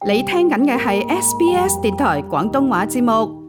你聽緊嘅係 SBS 電台廣東話節目。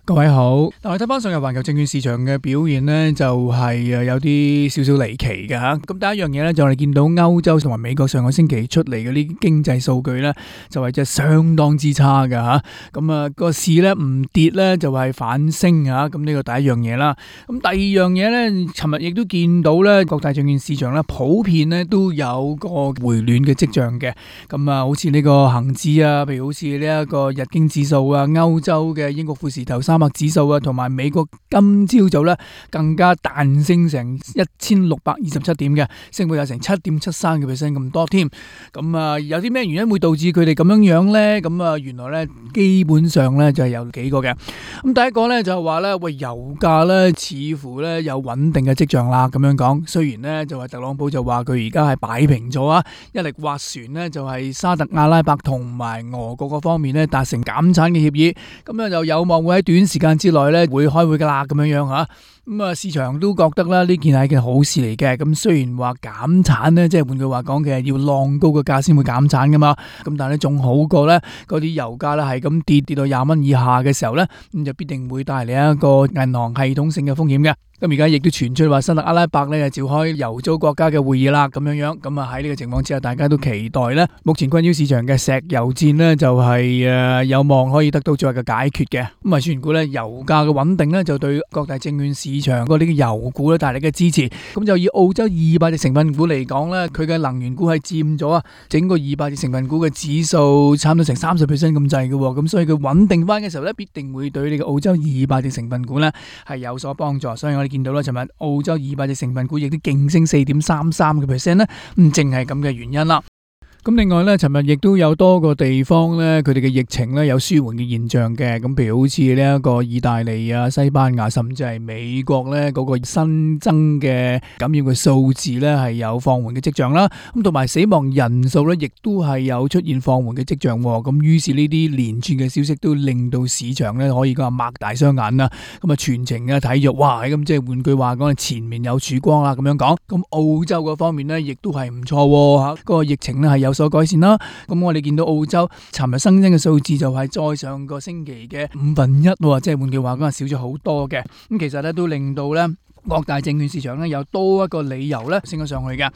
各位好，但係睇翻上日環球證券市場嘅表現呢，就係有啲少少離奇嘅吓。咁第一樣嘢呢，就我哋見到歐洲同埋美國上個星期出嚟嗰啲經濟數據呢，就係真係相當之差嘅吓。咁個市呢唔跌呢，就係反升吓。咁呢個第一樣嘢啦。咁第二樣嘢呢，尋日亦都見到呢，各大證券市場呢普遍呢都有個回暖嘅跡象嘅。咁好似呢個恒指啊，譬如好似呢一個日經指數啊，歐洲嘅英國富時投300指數啊，同埋美國今朝早咧更加彈升成1627點嘅，升幅有成7.73% 咁多添。咁有啲咩原因會導致佢哋咁樣樣咧？咁原來咧基本上咧就係有幾個嘅。咁第一個咧就係話咧，喂，油價咧似乎咧有穩定嘅跡象啦。咁樣講，雖然咧就係特朗普就話佢而家係擺平咗啊，一力斡旋咧就係沙特阿拉伯同埋俄國嗰方面咧達成減產嘅協議，咁樣就有望會喺短時間之內咧會開會噶啦，咁樣樣吓。咁市場都覺得啦，呢件係一件好事嚟嘅。咁雖然話減產呢，即係換句話講嘅，要浪高個價先會減產噶嘛。咁但係咧仲好過咧，嗰啲油價咧係咁跌到20蚊以下嘅時候咧，咁就必定會帶嚟一個銀行系統性嘅風險嘅。咁而家亦都傳出話沙特阿拉伯咧就召開油組國家嘅會議啦，咁樣樣。咁喺呢個情況之下，大家都期待咧，目前困擾市場嘅石油戰呢，就係有望可以得到最後嘅解決嘅。咁傳估咧油價嘅穩定咧就對各大證券市場嗰啲油股咧帶嚟嘅支持。咁就以澳洲200隻成分股嚟講咧，佢嘅能源股係佔咗整個200隻成分股嘅指數差唔多成30% 咁滯嘅。咁所以佢穩定翻嘅時候咧，必定會對呢個澳洲200隻成分股咧係有所幫助。所以我哋見到啦，尋日澳洲200隻成分股亦都勁升4.33% 咧，淨係咁嘅原因啦。咁另外咧，尋日亦都有多個地方咧，佢哋嘅疫情咧有舒緩嘅現象嘅。咁譬如好似呢一個意大利啊、西班牙，甚至係美國咧嗰個新增嘅感染嘅數字咧係有放緩嘅跡象啦。咁同埋死亡人數咧，亦都係有出現放緩嘅跡象。咁於是呢啲連串嘅消息都令到市場咧可以講係擘大雙眼啦。咁全程嘅睇著，哇！咁即係換句話講，前面有曙光啦咁樣講。咁澳洲嗰方面咧，亦都係唔錯嚇，嗰個疫情咧係有所改善啦。咁我哋見到澳洲尋日新增嘅數字就係再上個星期嘅1/5，即係換句話講係少咗好多嘅。咁其實咧都令到咧各大證券市場咧有多一個理由咧升咗上去嘅。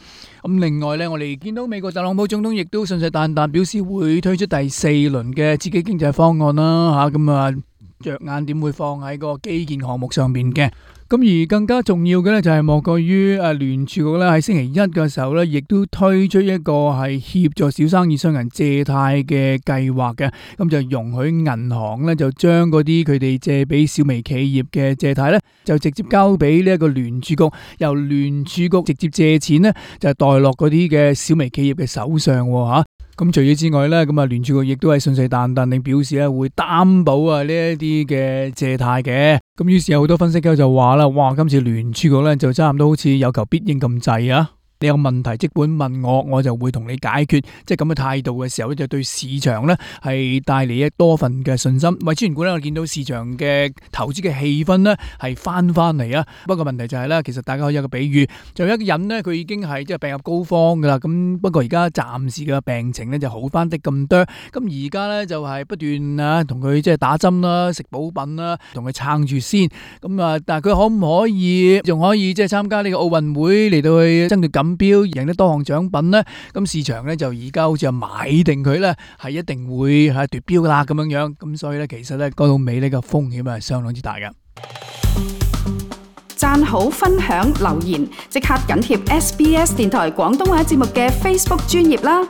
咁另外咧，我哋見到美國特朗普總統亦都信誓旦旦表示會推出第4輪嘅刺激經濟方案啦。咁着眼點會放喺個基建項目上邊嘅。咁而更加重要嘅咧就係莫過於聯儲局咧喺星期一嘅時候咧，亦都推出一個係協助小生意商人借貸嘅計劃嘅。咁就容許銀行咧就將嗰啲佢哋借俾小微企業嘅借貸咧，就直接交俾呢一個聯儲局，由聯儲局直接借錢咧就代落嗰啲嘅小微企業嘅手上吓。咁除此之外咧，咁聯儲局亦都係信誓旦旦地表示咧會擔保呢一啲嘅借貸嘅。咁於是有好多分析家就話啦，哇！今次聯儲局咧就差唔多好似有求必應咁滯啊！你有問題即管問我，我就會同你解決，即係咁嘅態度嘅時候咧，就對市場咧係帶嚟多份嘅信心。為主緣故咧，我見到市場嘅投資嘅氣氛咧係翻嚟啊。不過問題就係咧，其實大家可以有個比喻，就有一個人咧，佢已經係即係病入膏肓噶啦。咁不過而家暫時嘅病情咧就好翻啲咁多。咁而家咧就係不斷同佢即係打針啦、食補品啦，同佢撐住先。咁但係佢可唔可以仲可以即係參加呢個奧運會嚟到去爭奪錦標，贏得多項獎品呢？咁市場咧就而家好似買定佢咧，係一定會係奪標噶啦咁樣樣。咁所以咧，其實咧講到尾呢個風險係相當之大嘅。讚好、分享、留言，即刻緊貼SBS 電台廣東話節目嘅 Facebook 專頁啦。